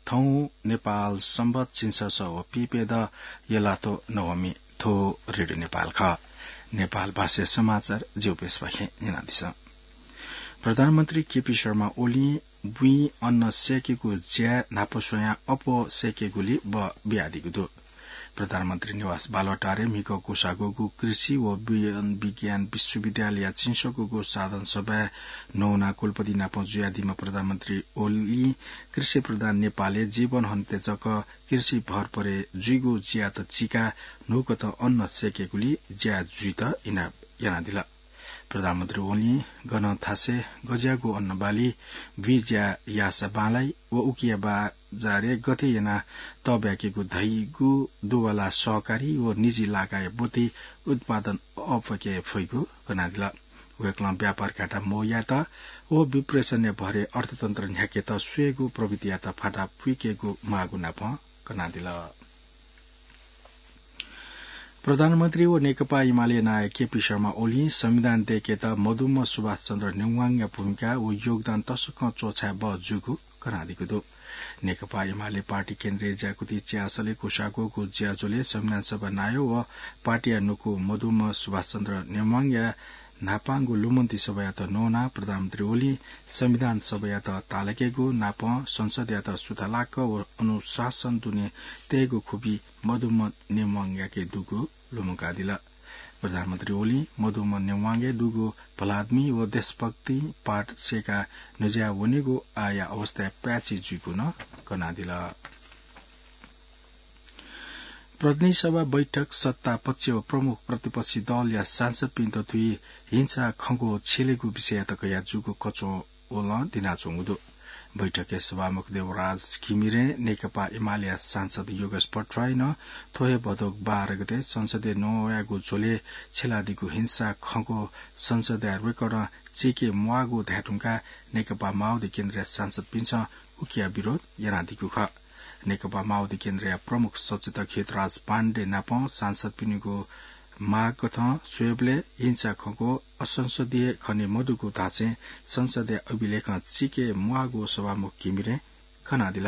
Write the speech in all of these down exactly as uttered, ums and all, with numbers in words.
थौं नेपाल संवत झिंछसः व पीप्यदँ यलाथ्व नवमी। थ्व रेडियो नेपाल खः। नेपाल भाषाया समाचार ज्यू प्रेसपाखें न्यनादिसँ। प्रधानमन्त्री केपी शर्मा ओलीं बुँइ अन्न सय्केगु ज्याय् न्हापा स्वयां अप्वः सय्केगुलि बः बियादीगु दु। प्रधानमन्त्री निवास बालुवाटारय् म्हिगः क्वसाःग्वःगु कृषि व वन विज्ञान विश्वविद्यालयया झिंस्वकूगु साधारण सभाय् नवानाः कुलपति नाप जुयादीम्ह प्रधानमन्त्री ओलीं कृषि प्रधान नेपालय् जीवन हनेत जक कृषि भर परे जुइगु ज्यायात चीकाः न्हूकथं अन्न सय्केगुलि ज्याय् जुइत इनाप यानादिल। प्रधानमन्त्री ओलीं गन थासय् गज्याःगु अन्नबाली बुँइ ज्या याःसा बांलाइ व उकिया बजारय् गथे यानाः तःब्याकेगु धइगु दुवाला सहकारी व निजी लागाया बुद्धि उत्पादन अःपुके फइगु कनादिल। वय्कलं व्यापार घाटा मवयात व विप्रेषणया भरय् अर्थतन्त्र न्ह्याकेत स्वयेगु प्रवृत्तियात फाता पुइकेगु माःगु नाप कनादिल। प्रधानमन्त्री व नेकपा एमाले नायः केपी शर्मा ओलीं संविधान दय्केत मदुम्ह सुभाष चन्द्र नेवाङया भूमिका व योगदान तसकं च्वछाये बहः जूगु कनादीगु दु। नेकपा एमाले पार्टी केन्द्रीय ज्याकुथि च्यासलय् क्वसाःग्वःगु ज्याझ्वलय् संविधान सभा नायः व पार्टीया नुगः मदुम्ह सुभाष चन्द्र नेवाङया न्हापांगु लुमन्ति सभायात नवानाः प्रधानमन्त्री ओलीं संविधान सभायात ताःलाकेगु नापं संसदयात सुथालाक व अनुशासन दुने तयेगु खुबी मदुम्ह नेवाङयाके दुगु लुमंकादिल। प्रधानमन्त्री ओलीं मदुम्ह नेवाङया दुगु भलादमी व देशभक्ति पाठ सय्काः न्ह्यज्याः वनेगु आःया अवस्थाय् पाय्छि जुइगु नं कनादिल। प्रतिनिधि सभा बैठक सत्ता पक्ष व प्रमुख प्रतिपक्षी दलया सांसदपिन्त थुइ हिंसा खँग्वः छ्यलेगु विषययात कयाः जूगु कचो वलं दिनाच्वंगु दु। बैठकय् सभामुख देवराज घिमिरें नेकपा एमालेया सांसद योगेश भट्टराईं नं थ्व हे भदौ बाह्र गते संसदय् नवायेगु झ्वलय् छ्यलादीगु हिंसा खँग्वः संसदया रेकर्डं चीके म्वाःगु धायेधुंकाः नेकपा माओवादी केन्द्रया सांसदपिन्सं उकिया विरोध यानादीगु खः। नेकपा माओवादी केन्द्रया प्रमुख सचेतक हितराज पाण्डे नाप सांसदपिनिगु माग कथं स्वयेबलय् हिंसा खँग्वः असंसदीय खने मदुगु धासें संसदया अभिलेखं चीके म्वाःगु सभामुख घिमिरें खनादिल।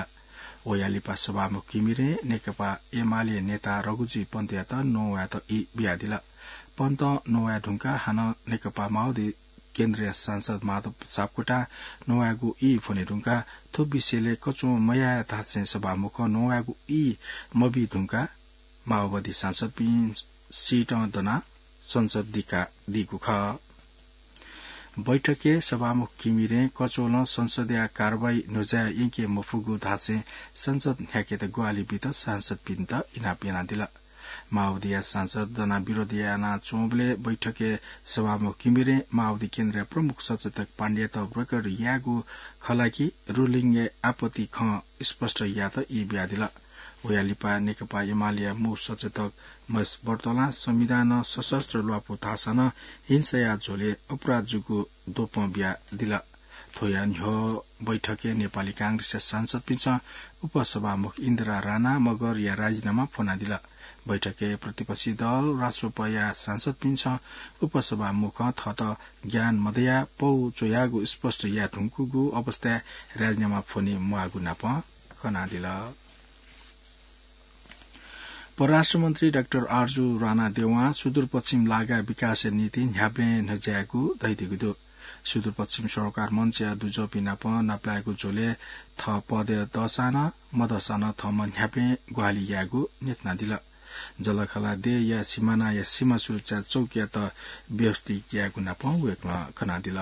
वया लिपा सभामुख घिमिरें नेकपा एमाले नेता रघुजी पन्तयात नवायेत ई बियादिल। पन्तं नवाये धुंकाः हानं नेकपा माओवादी केन्द्रया सांसद माधव सापकोटां नवायेगु ई फ्वने धुंकाः थ्व विषयलय् कचो मयाये धासें सभामुखं नवायेगु ई मबी धुंकाः माओवादी सांसदपिं सीतं दनाः संसद दिकादीगु खः। बैठकय् सभामुख घिमिरें कचोलं संसदया कारवाही न्ह्यज्याः यंके मफुगु धासें संसद न्ह्याकेत ग्वाहालि बीत सांसदपिन्त इनाप यानादिल। माओवादीया सांसद दनाः विरोध यानाच्वंबलय् बैठकय् सभामुख घिमिरें माओवादी केन्द्रया प्रमुख सचेतक पाण्डेयात रेकर्ड यायेगु खः ला कि रुलिङय् आपत्ति खँ स्पष्ट यायेत ई बियादिल। वया लिपा नेकपा एमालेया मू सचेतक महेश बर्तलां संविधानं सशस्त्र ल्वापु धाःसा नं हिंसाया झ्वलय् अपराध जूगु द्वपं बियादिल। थ्वया न्ह्यः बैठकय् नेपाली कांग्रेसया सांसदपिन्सं उपसभामुख इन्दिरा राणा मगरया राजीनामा फ्वनादिल। बैठकय् प्रतिपक्षी दल राष्ट्रपया सांसदपिन्सं उपसभामुखं थःत ज्ञान मदयाः पौ च्वयागु स्पष्ट याये धुंकूगु अवस्थाय् राजीनामा फ्वने म्वाःगु नाप कनादिल। परराष्ट्र मन्त्री डाक्टर आर्जु राणा देवां सुदूरपश्चिम लागा विकासया निंतिं न्ह्याबलें न्ह्यज्यायेगु धयादीगु दु। सुदूरपश्चिम सरोकार मञ्चया दुजःपिं नाप नापलायेगु झ्वलय् थः पदय् दःसां नं मदःसां नं थःम्हं न्ह्याबलें ग्वाहालि यायेगु न्ह्यथनादिल। जःलाखःला देय्‌या सिमानाया सीमा सुरक्षा चौकीयात व्यवस्थित यायेगु नाप वय्‌कलं कनादिल।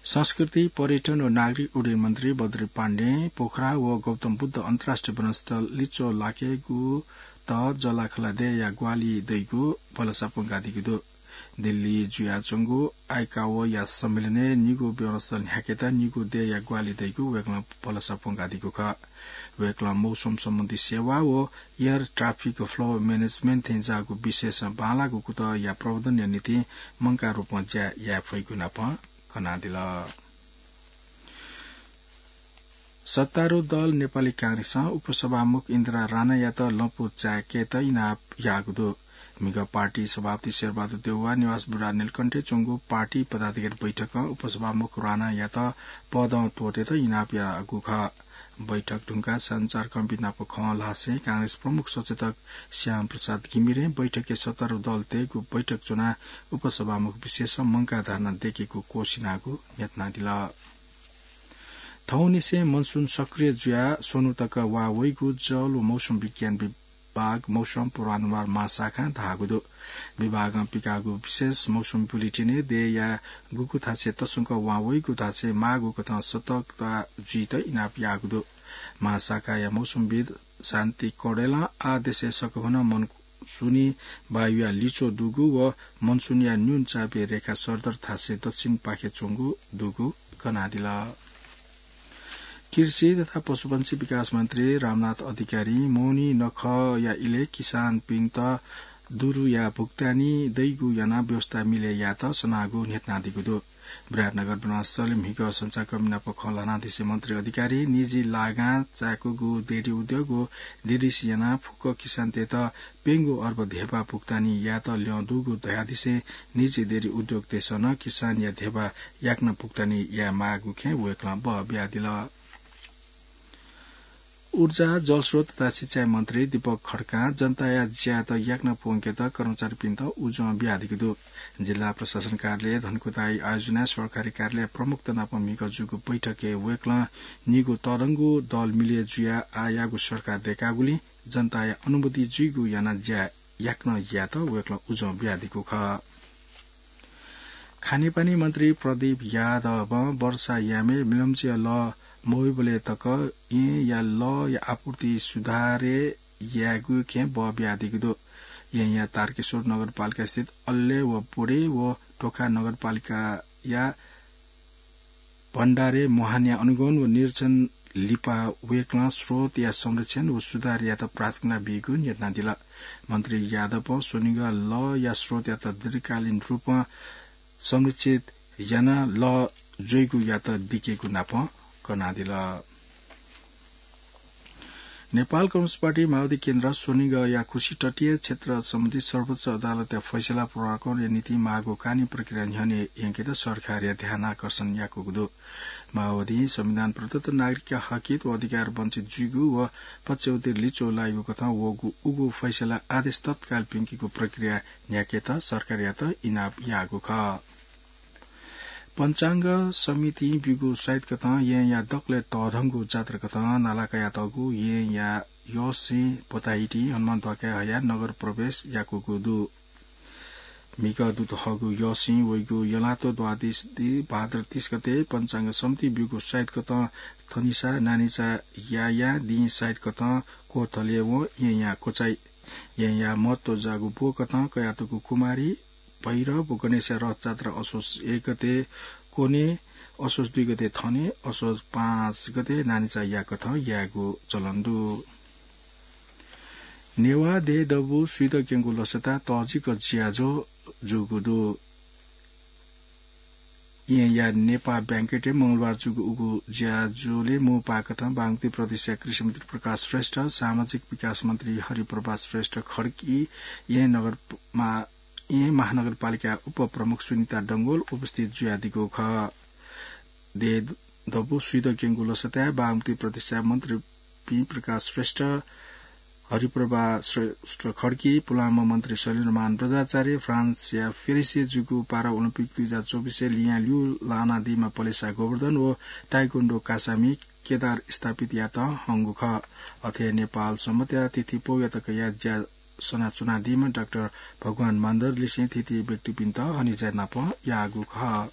संस्कृति, पर्यटन व नागरिक उड्डयन मन्त्री बद्री पाण्डें पोखरा व गौतम बुद्ध अन्तर्राष्ट्रिय विमानस्थल लिच्वः लाकेगुत जःलाखःला देय्‌या ग्वाहालि दइगु भलसा प्वंकादीगु दु। दिल्लीइ जुयाच्वंगु आइकाओया सम्मेलनय् निगू विमानस्थल न्ह्याकेत निगू देय्‌या ग्वाहालि दइगु वय्‌कलं भलसा प्वंकादीगु खः। वय्‌कलं मौसम सम्बन्धी सेवा व air traffic flow management थेंज्याःगु विषयसं बांलाःगु कुतःया प्रबन्धनया निंतिं मंकाः रूपं ज्या याये फइगु नाप कनादिल। सत्तारूढ दल नेपाली कांग्रेसं उपसभामुख इन्दिरा राणायात लँपु चाय्‌केत इनाप याःगु दु। म्हिगः पार्टी सभापति शेरबहादुर देउवा निवास बुढानीलकण्ठय् च्वंगु पार्टी पदाधिकारी बैठकं उपसभामुख राणायात पदं त्वःतेत इनाप याःगु खः। बैठक धुंकाः सञ्चारकर्मीपिं नाप खँ ल्हासें कांग्रेस प्रमुख सचेतक श्याम प्रसाद घिमिरें बैठकय् सत्तारूढ दलतय्गु बैठक च्वनाः उपसभामुख विशेषं मंकाः धर्ना दयेकेगु क्वसिनागु न्ह्यथनादिल। थौंनिसें मनसुन सक्रिय जुयाः स्वन्हु तक वाः वइगु जल व मौसम विज्ञान विभाग मौसम पूर्वानुमान महाशाखां धाःगु दु। विभागं पिकाःगु विशेष मौसम बुलेटिनय् देय्या गुगु थासय् तसकं वां वइगु थासय् माःगु कथं सतर्कता जुइत इनाप याःगु दु। महाशाखाया मौसमविद शान्ति कौडेलं आः देशय् सकभनं मनसुनी वायुया लिच्वः दुगु व मनसुनीया न्यून चापय् रेखा सरदर थासय् दक्षिणपाखे च्वंगु दुगु कनादिल। कृषि तथा पशुपंक्षी विकास मन्त्री रामनाथ अधिकारीं मोहनी नखःया इलय् किसानपिन्त दुरुया भुक्तानी दइगु यानाः व्यवस्था मिले यायेत सनाःगु न्ह्यथनादीगु दु। विराटनगर विमानस्थलय् म्हिगः सञ्चारकर्मी नाप खँ ल्हानादिसे मन्त्री अधिकारीं निजी लागां चाय्कूगु डेरी उद्योग व डेरीस यानाः फुक्क किसानतय्त प्यंगू अर्ब धेबा भुक्तानी यायेत ल्यं दुगु धयादिसे निजी डेरी उद्योगतय्सं नं किसानया धेबा याकनं भुक्तानी याये माःगु खँय् वय्कलं बः बियादिल। ऊर्जा, जलस्रोत तथा सिँचाइ मन्त्री दीपक खड्कां जनताया ज्यायात याकनं प्वंकेत कर्मचारीपिन्त उजं बियादीगु दु। जिल्ला प्रशासन कार्यालय धनकुटाय् आयोजनाय् सरकारी कार्यालय प्रमुखत नाप म्हिगः जूगु बैठकय् वय्कलं निगू तःधंगु दल मिले जुयाः आःयाःगु सरकार दय्कागुलिं जनताया अनुमति जुइगु यानाः ज्या याकनं यायेत वय्कलं उजं बियादीगु खः। खानेपानी मन्त्री प्रदीप यादवं वर्षा यामय् मिलम्चीया लः मवइबलय् तक येँया लःया आपूर्ति सुधारय् यायेगु खँय् बः बियादीगु दु। येँया तारकेश्वर नगरपालिका स्थित अल्ले व बोडे व टोखा नगरपालिकाया भण्डारे मुहानया अनुगमन व निरीक्षण लिपा वय्कलं स्रोतया संरक्षण व सुधार यायेत प्राथमिकता बीगु न्ह्यथनादिल। मन्त्री यादवं स्वनिगः लःया स्रोतयात दीर्घकालीन रूपं संरक्षित यानाः लः ज्वइगु यात दिकेगु नाप कनादिल। नेपाल कम्युनिस्ट पार्टी माओवादी केन्द्र स्वनिगःया खुसी तटीय क्षेत्र सम्बन्धी सर्वोच्च अदालतया फैसला पुनरावलोकनया निंतिं माःगु कानूनी प्रक्रिया न्ह्यःने यंकेत सरकारया ध्यानाकर्षण याकूगु दु। माओवादीं संविधान प्रदत्त नागरिकया हकहित व अधिकार वञ्चित जुइगु व पक्षावधिर लिच्वः लाइगु कथं वःगु उगु फैसला आदेश तत्काल प्यंकेगु प्रक्रिया न्ह्याकेत सरकारयात इनाप याःगु खः। पञ्चाङ्ग समितिं ब्यूगु साइत कथं येँया दकलय् तःधंगु जात्रा कथं नाला कयातःगु येँया यःसिं बताहिटी हनुमान ध्वाखाय् हयाः नगर प्रवेश याकूगु दु। म्हिगः दुत हःगु यःसिं वइगु यंलातो द्वादशी भाद्र तीस गते पञ्चाङ्ग समितिं ब्यूगु साइत कथं थनिसा नानिचा यायां दिं साइत कथं क्वथलय् वं येँया क्वचाइ। येँया महत्व जाःगु ब्व कथं कयातःगु कुमारी भैरव व गणेशया रथजात्रा असोज एक गते क्वने, असोज दुई गते थने, असोज पाँच गते नानिचा याकथं यायेगु चलन दु। नेवाः देय् दबू स्वीदँ क्यंगु लसताय् तःजिक ज्याझ्वः जूगु दु। येँया नेपाः बैंक्वेटय् मंगलबार जूगु उगु ज्याझ्वलय् मू पाकथं बागमती प्रदेशया कृषि मन्त्री प्रकाश श्रेष्ठ, सामाजिक विकास मन्त्री हरिप्रभा श्रेष्ठ खड्गी, येँ नगर मा-, येँ महानगरपालिका उपप्रमुख सुनिता डंगोल उपस्थित जुयादीगु खः। देय् दबू स्वीदँ क्यंगु लसताय् बागमती प्रदेशया मन्त्रीपिं प्रकाश श्रेष्ठ, हरिप्रभा श्रेष्ठ खड्गी, पुलांम्ह मन्त्री शैलेन्द्रमान बज्राचार्य, फ्रान्सया पेरिसय् जूगु पारा ओलम्पिक दुई हजार चौबिसय् लियां ल्यू लानादीम्ह पलेसा गोवर्धन व ताइक्वोन्डो कासामि केदार स्थापितयात हंगु खः। अथे नेपाल संवत्‌या तिथि पौया तकया ज्या सनाच्वनादीम्ह डाक्टर भगवान मान्दर लिसें थीथी व्यक्तिपिन्त हनेज्या नाप याःगु खः।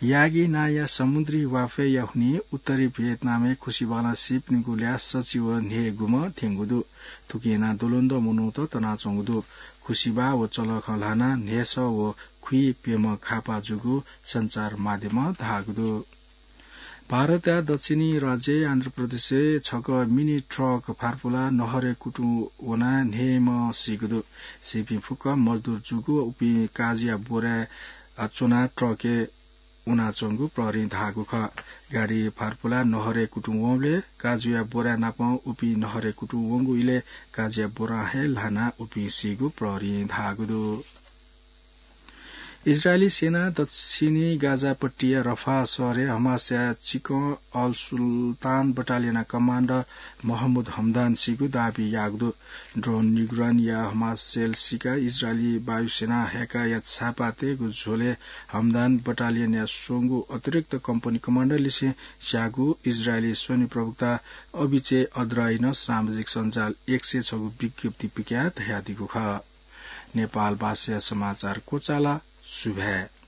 यागी नांया समुद्री वाफय्‌या हुनिं उत्तरी भियतनामय् खुसिबालं सीपिनिगु ल्याः सचिव न्हय्‌गूम्ह थ्यंगु दु। थुकिं यानाः द्वलंद्वः मनूत तनाच्वंगु दु। खुसिबा व चलखं ल्हानाः न्हय्‌सः व खुइप्यम्ह खापा जूगु सञ्चार माध्यमं धाःगु दु। भारतया दक्षिणी राज्य आन्ध्र प्रदेशय् छकः मिनी ट्रक फार्पुलाः नहरय् कुतुं वनाः न्हय्‌म्ह सीगु दु। सीपिं फुक्क मजदुर जूगु व उपिं काजुया बोराय् च्वनाः ट्रकय् वनाच्वंगु प्रहरीं धाःगु खः। गाडी फार्पुलाः नहरय् कुतुं वंबलय् काजुया बोराय् नापं उपिं नहरय् कुतुं वंगु इलय् काजुया बोरां हे ल्हानाः उपिं सीगु प्रहरीं धाःगु दु। इजरायली सेनां दक्षिणी गाजापट्टिया रफाह शहरय् हमासया चिकं अल सुल्तान बटालियनया कमान्डर महमुद हमदान सीगु दाबी याःगु दु। ड्रोन निगरानीया हमास सेल सिका इजरायली वायुसेनां हय्‌काया छापा तयेगु झ्वलय् हमदान बटालियनया स्वंगू अतिरिक्त कम्पनी कमान्डर लिसें स्याःगु इजरायली स्वनिं प्रवक्ता अभिचेह अद्राइनं सामाजिक सञ्जाल एक्सय् छगू विज्ञप्ति पिकयाः धयादीगु खः। नेपाल भाषाया समाचार क्वचाल। सुभाय्।